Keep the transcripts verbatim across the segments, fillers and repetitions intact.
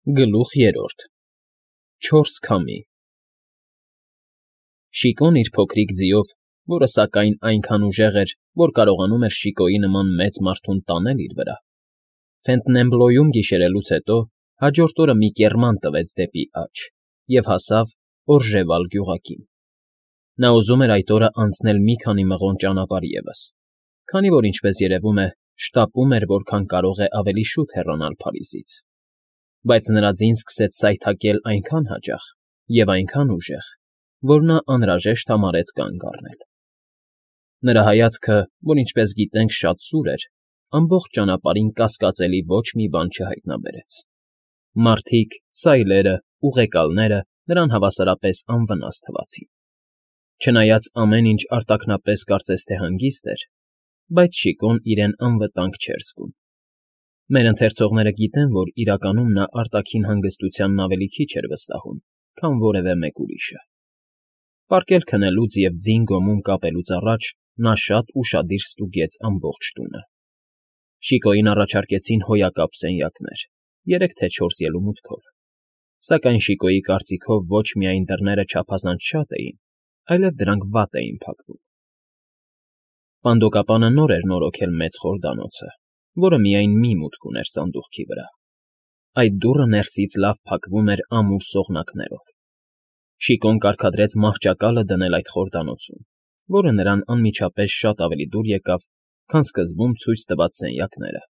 Գլուխ երրորդ Չորս քամի Շիկոն իր փոքրիկ ձիով, որը սակայն այնքան ուժեղ էր, որ կարողանում էր Շիկոյի նման մեծ մարդուն տանել իր վրա, Ֆենտնեմբլոյում գիշերելուց հետո հաջորդ օրը մի կեռման տվեց դեպի աջ և հասավ Օրժևալ գյուղակին. նա ուզում էր այդ օրը անցնել մի քանի մղոն ճանապարհ ևս, քանի որ, ինչպես երևում է, շտապում էր որքան կարող է ավելի շուտ հեռանալ Փարիզից, բայց նրա ձին սկսեց սայթաքել այնքան հաճախ և այնքան ուժեղ, որ նա անհրաժեշտ համարեց կանգ առնել. նրա հայացքը, որ ինչպես գիտենք շատ սուր էր, ամբողջ ճանապարհին կասկածելի ոչ մի բան չհայտնաբերեց. մարդիկ, սայլերը, ուղեկալները նրան հավասարապես անվնաս թվացին. չնայած ամեն ինչ արտաքնապես կարծես թե հանգիստ էր, բայց Շիկոն իրեն անվտանգ չէր զգում. մեր ընթերցողները գիտեն, որ իրականում նա արտաքին հանգստությանն ավելի քիչ էր վստահում, քան որևէ մեկ ուրիշը. պարկել քնելուց և ձին գոմում կապելուց առաջ նա շատ ուշադիր ստուգեց ամբողջ տունը. Շիկոյին առաջարկեցին հոյակապ սենյակներ, երեք թե չորս ելումուտքով, սակայն Շիկոյի կարծիքով ոչ միայն դռները չափազանց շատ էին, այլև դրանք վատ էին փակվում. Պանդոկապանը նոր էր նորոգել մեծ խորդանոցը, որը միայն մի մուտք ուներ սանդուղքի վրա. այդ դուռը ներսից լավ փակվում էր ամուր սողնակներով. Շիկոն կարգադրեց մահճակալը դնել այդ խորդանոցում, որը նրան անմիջապես շատ ավելի դուր եկավ, քան սկզբում ցույց տված սենյակները,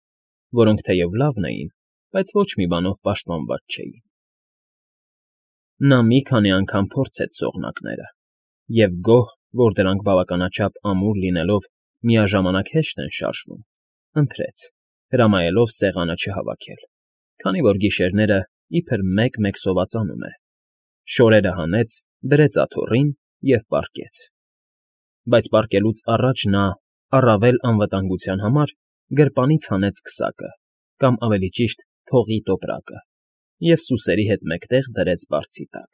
որոնք թեև լավն էին, բայց ոչ մի բանով պաշտպանված չէին. նա մի քանի անգամ փորձեց սողնակները և գոհ, որ դրանք բավականաչափ ամուր լինելով միաժամանակ հեշտ են շարժվում, ընտրեց, հրամայելով սեղանը չհավաքել, քանի որ գիշերները իբր մեկ֊մեկ սովածանում է, շորերը հանեց, դրեց աթոռին և պառկեց. բայց պառկելուց առաջ նա, առավել անվտանգության համար, գրպանից հանեց քսակը, կամ ավելի ճիշտ փողի տոպրակը, և սուսերի հետ մեկտեղ դրեց բարձի տակ.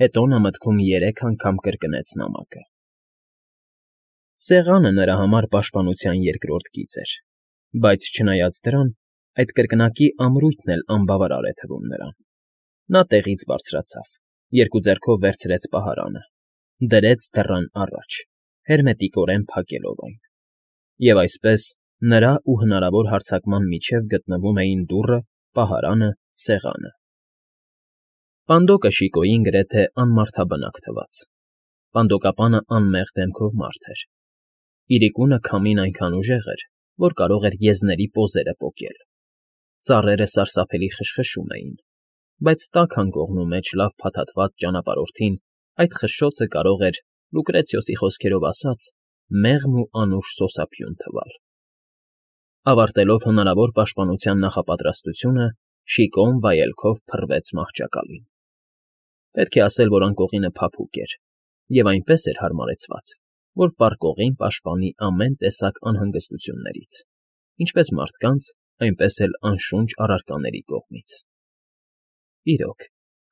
հետո նա մտքում երեք անգամ կրկնեց նամակը. Սեղանը նրա համար պաշտպանության երկրորդ գիծ էր, բայց չնայած դրան, այդ կրկնակի ամրույթն էլ անբավարար է թվում նրան. նա տեղից բարձրացավ, երկու ձեռքով վերցրեց պահարանը, դրեց դռան առաջ, հերմետիկորեն փակելով այն, և այսպես, նրա ու հնարավոր հարձակման միջև գտնվում էին դուռը, պահարանը, սեղանը. Պանդոկը Շիկոյին գրեթե անմարդաբնակ թվաց. պանդոկապանը անմեղ դեմքով մարդ էր. իրիկունը քամին այնքան ուժեղ էր, որ կարող էր եզների պոզերը պոկել, ծառերը սարսափելի խշխշում էին, բայց տաք անկողնու մեջ լավ փաթաթված ճանապարհորդին այդ խշշոցը կարող էր, Լուկրեցիոսի խոսքերով ասած, մեղմ ու անուշ սոսափյուն թվալ. ավարտելով հնարավոր պաշտպանության նախապատրաստությունը, Շիկոն վայելքով փռվեց մահճակալին. պետք է ասել, որ անկողինը փափուկ էր և այնպես էր հարմարեցված, որ պառկողին պաշտպանի ամեն տեսակ անհանգստություններից, ինչպես մարդկանց, այնպես էլ անշունչ առարկաների կողմից. իրոք,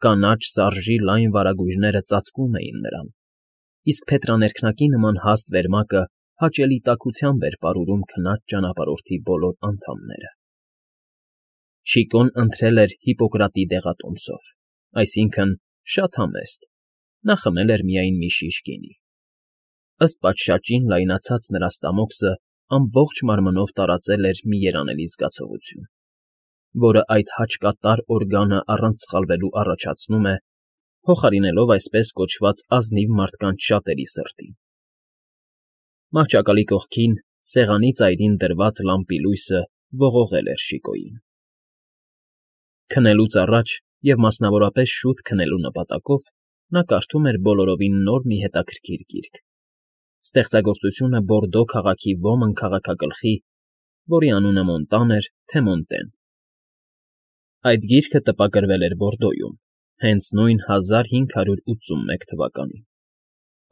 կանաչ սարժի լայն վարագույրները ծածկում էին նրան, իսկ փետրաներքնակի նման հաստ վերմակը հաճելի տաքությամբ էր պարուրում քնած ճանապարհորդի բոլոր անդամները. Շիկոն ընթրել էր Հիպոկրատի դեղատոմսով, այսինքն՝ շատ համեստ, նա խմել էր միայն մի շիշ գինի. ըստ պատշաճին լայնացած նրա ստամոքսը ամբողջ մարմնով տարածել էր մի երանելի զգացողություն, որը այդ հաճկատար օրգանը առանց սխալվելու առաջացնում է, փոխարինելով այսպես կոչված ազնիվ մարդկանց շատերի սրտին. Մահճակալի կողքին, սեղանի ծայրին դրված լամպի լույսը ողողել էր Շիկոյին. Քնելուց առաջ և մասնավորապես շուտ քնելու նպատակով նա կարդում էր բոլորովին նոր մի հետաքրքիր գիրք. ստեղծագործությունը Բորդո քաղաքի ոմն քաղաքագլխի, որի անունը Մոնտան էր, թե Մոնտեն. Այդ գիրքը տպագրվել էր Բորդոյում, հենց նույն հազար հինգ հարյուր ութսունմեկ թվականին.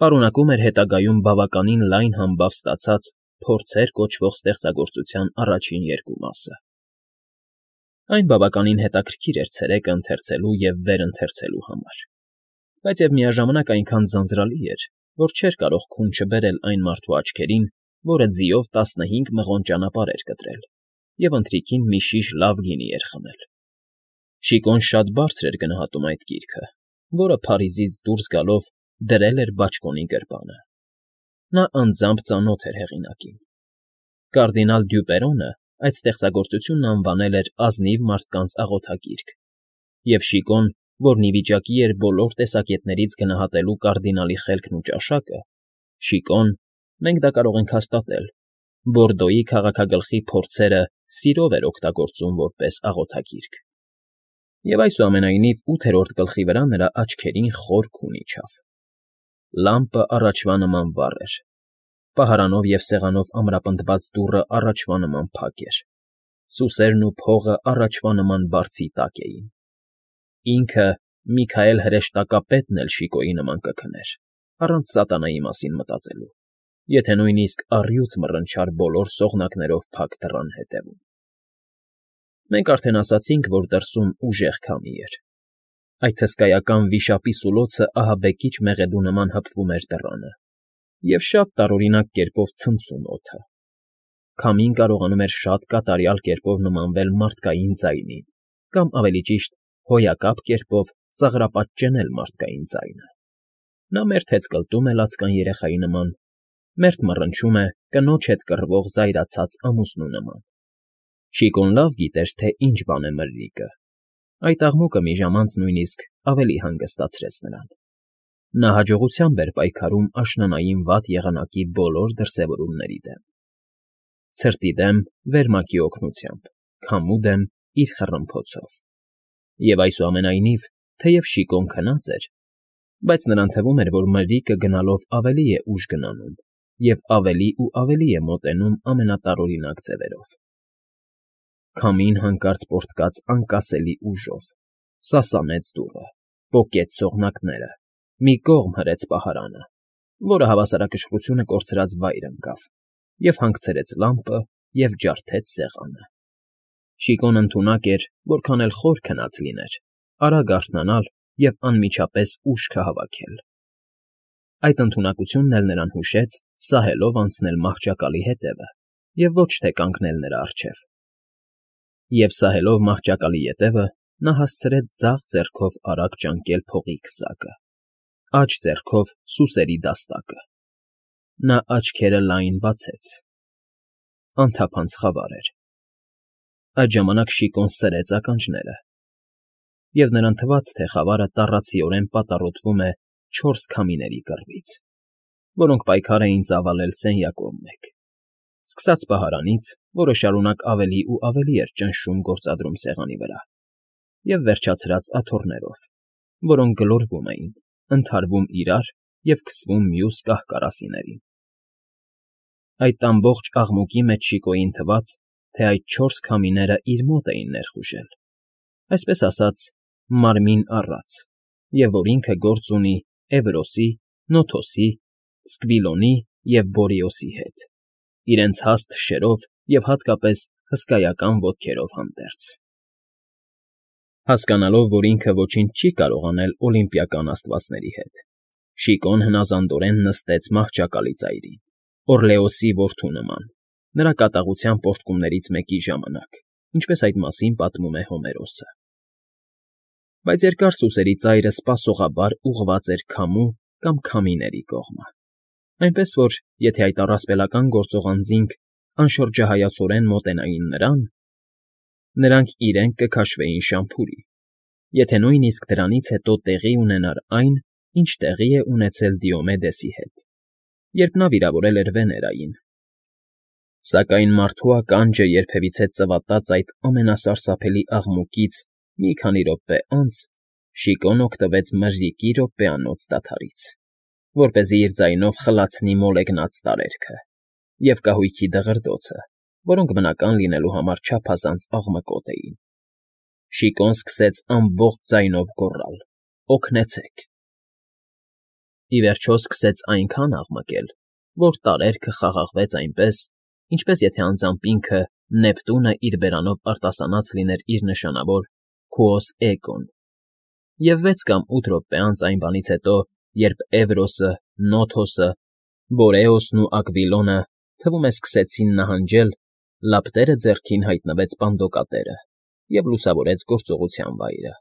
պարունակում էր հետագայում բավականին լայն համբավ ստացած «Փորձեր» կոչվող ստեղծագործության առաջին երկու մասը. Այն բավականին հետաքրքիր էր ցերեկը ընթերցելու և վերընթերցելու համար, բայց և միաժամանակ այնքան ձանձրալի էր, որ չէր կարող քուն չբերել այն մարդու աչքերին, որը ձիով տասնհինգ մղոն ճանապարհ էր կտրել և ընթրիքին մի շիշ լավ գինի էր խմել։ Շիկոն շատ բարձր էր գնահատում այդ գիրքը, որը Փարիզից դուրս գալով դրել էր բաճկոնի գրպանը։ Նա անձամբ ծանոթ էր հեղինակին։ Կարդինալ Դյուպերոնը այդ ստեղծագործությունն անվանել էր ազնիվ մարդկանց աղոթագիրք, և Շիկոն, որն ի վիճակի էր բոլոր տեսակետներից գնահատելու կարդինալի խելքն ու ճաշակը, Շիկոն, մենք դա կարող ենք հաստատել, Բորդոյի քաղաքագլխի փորձերը սիրով էր օգտագործում որպես աղոթագիրք։ Եվ այսուամենայնիվ ութերորդ գլխի վրա նրա աչքերին խոր քուն իջավ։ Լամպը առաջվա նման վառ էր։ Պահարանով և սեղանով ամրապնդված դուռը առաջվա նման փակ էր։ Սուսերն ու փողը առաջվա նման բարձի տակ էին։ Ինքը Միքայել հրեշտակապետն էլ Շիկոյի նման կքներ, առանց սատանայի մասին մտածելու, եթե նույնիսկ առյուծ մռնչար բոլոր սողնակներով փակ դռան ետևում։ Մենք արդեն ասացինք, որ դրսում ուժեղ քամի էր։ Այդ հսկայական վիշապի սուլոցը ահաբեկիչ մեղեդու նման հպվում էր դռանը և շատ տարօրինակ կերպով ցնցում օդը։ Քամին կարողանում էր շատ կատարյալ կերպով նմանվել մարդկային ձայնին կամ, ավելի ճիշտ, հոյակապ կերպով ծաղրապատճենել մարդկային ձայնը։ Նա մերթ հեծկլտում է լացկան երեխայի նման, մերթ մռնչում է կնոջ հետ կռվող զայրացած ամուսնու նման։ Շիկոն լավ գիտեր, թե ինչ բան է մրրիկը։ Այդ աղմուկը մի ժամանց նույնիսկ ավելի հանգստացրեց նրան։ Նա հաջողությամբ էր պայքարում աշնանային վատ եղանակի բոլոր դրսևորումների դեմ։ Ցրտի դեմ վերմակի օգնությամբ, քամու դեմ իր խռմփոցով։ Եվ այսուամենայնիվ, թեև Շիկոն քնած էր, բայց նրան թվում էր, որ մրրիկը գնալով ավելի է ուժ գնանում և ավելի ու ավելի է մոտենում ամենատարօրինակ ձևերով։ Քամին հանկարծ պոռթկաց անկասելի ուժով, սասանեց դուռը, պոկեց սողնակները, մի կողմ հրեց պահարանը, որը հավասարակշռությունը կորցրած վայր ընկավ, և հանգցրեց լամպը և ջարդեց սեղանը։ Շիկոն ընդունակ էր, որքան էլ խոր քնած լիներ, արագ արթնանալ և անմիջապես ուշքը հավաքել։ Այդ ընդունակությունն էլ նրան հուշեց սահելով անցնել մահճակալի հետևը և ոչ թե կանգնել նրա առջև։ Եվ սահելով մահճակալի ետևը, նա հասցրեց ձախ ձեռքով արագ ճանկել փողի քսակը, աջ ձեռքով սուսերի դաստակը։ Նա աչքերը լայն բացեց։ Անթափանց խավար էր։ Այդ ժամանակ Շիկոն սրեց ականջները, և նրան թվաց, թե խավարը տառացիորեն պատառոտվում է չորս քամիների կռվից, որոնք պայքար էին ծավալել սենյակով մեկ, սկսած պահարանից, որը շարունակ ավելի ու ավելի էր ճնշում գործադրում սեղանի վրա, և վերջացրած աթոռներով, որոնք գլորվում էին, ընդհարվում իրար և քսվում մյուս կահ֊կարասիներին։ Այդ ամբողջ աղմուկի մեջ Շիկոյին թվաց, թե այդ չորս քամիները իր մոտ էին ներխուժել, այսպես ասած, մարմին առած, և որ ինքը գործ ունի Էվրոսի, Նոթոսի, Սկվիլոնի և Բորիոսի հետ, իրենց հաստ թշերով և հատկապես հսկայական ոտքերով հանդերձ։ Հասկանալով, որ ինքը ոչինչ չի կարող անել օլիմպիական աստվածների հետ, Շիկոն հնազանդորեն նստեց մահճակալի ծայրին, Օռլեոսի որդու նման, նրա կատաղության պոռթկումներից մեկի ժամանակ, ինչպես այդ մասին պատմում է Հոմերոսը։ Բայց երկար սուսերի ծայրը սպասողաբար ուղղված էր քամու կամ քամիների կողմը, այնպես որ, եթե այդ առասպելական գործող անձինք անշրջահայացորեն մոտենային նրան, նրանք իրենք կքաշվեին շամփուրի, եթե նույնիսկ դրանից հետո տեղի ունենար այն, ինչ տեղի է ունեցել Դիոմեդեսի հետ, երբ նա վիրավորել էր Վեներային։ Սակայն մարդու ականջը երբևիցե ծվատած այդ ամենասարսափելի աղմուկից մի քանի րոպե անց Շիկոն օգտվեց մրրիկի րոպեանոց դադարից, որպեսզի իր ձայնով խլացնի մոլեգնած տարերքը և կահույքի դղրդոցը, որոնք բնական լինելու համար չափազանց աղմկոտ էին։ Շիկոն սկսեց ամբողջ ձայնով գոռալ. «Օգնեցե՛ք»։ Ի վերջո սկսեց այնքան աղմկել, որ տարերքը խաղաղվեց այնպես, ինչպես եթե անձամբ ինքը Նեպտունը իր բերանով արտասանած լիներ իր նշանավոր Քուոս Էգոն, և վեց կամ ութ րոպե անց այն բանից հետո, երբ Էվրոսը, Նոթոսը, Բորեոսն ու Ակվիլոնը, թվում է, սկսեցին նահանջել, լապտերը ձեռքին հայտնվեց Պանդոկատերը և լուսավորեց գործողության վայրը։